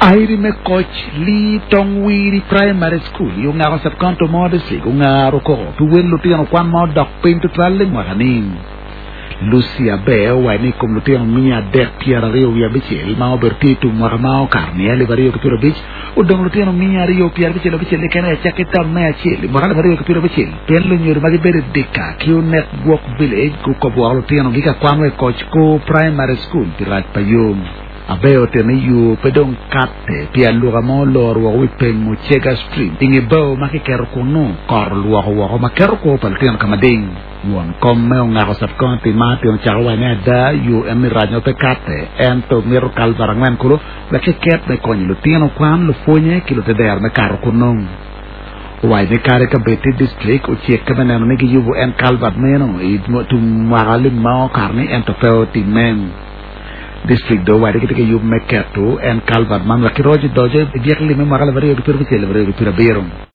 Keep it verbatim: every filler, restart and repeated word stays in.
Airi me koc Lee Tong Wiri Primary School i ongako sub-county mo district ongaro koko pi wel lutino kwan ma odok piny tutwal i mwaka ni. Lucy Aber owaco ni i kom lutino miya adek pyeraryo wiye abicel ma obedo tye i tum mwaka ma okato ni alip aryo ki pyero abic odong lutino miya aryo pyerabicel abicel keken i acakki tam me acel i mwaka alip aryo ki pyero abicel pien lunyodo ma gibedo i Dika ki Onek Gwok Village gukobo woko lutinogi ka kwan wa i koc ko primary school pi rac pa yo. Aber otito ni yo pe dong katte pi aluka ma oloro woko wi peng Mucega Stream i nge bao ma kiketo kunu kot olwoko woko ma keto kwo pa lutino ka mading. Won kom me ongako sub-county Martin ocako waco ni ada yo en ni rac ma pe katte ento mito culvert angwen kulu wek kiket me konyo lutino kwan lupwonye ki lutedero me kato kunu. Owaco ni kadi ka bed ti district ocikke me neno ni giyubo en culvert meno i tum mwaka lim ma okato ni ento pe otimme. District do owaco ni gitye ki yub me keto en culvert man wek kiroc odoco i dyek lim me mwaka alip aryo ki pyero abicel alip aryo ki pyero abiro.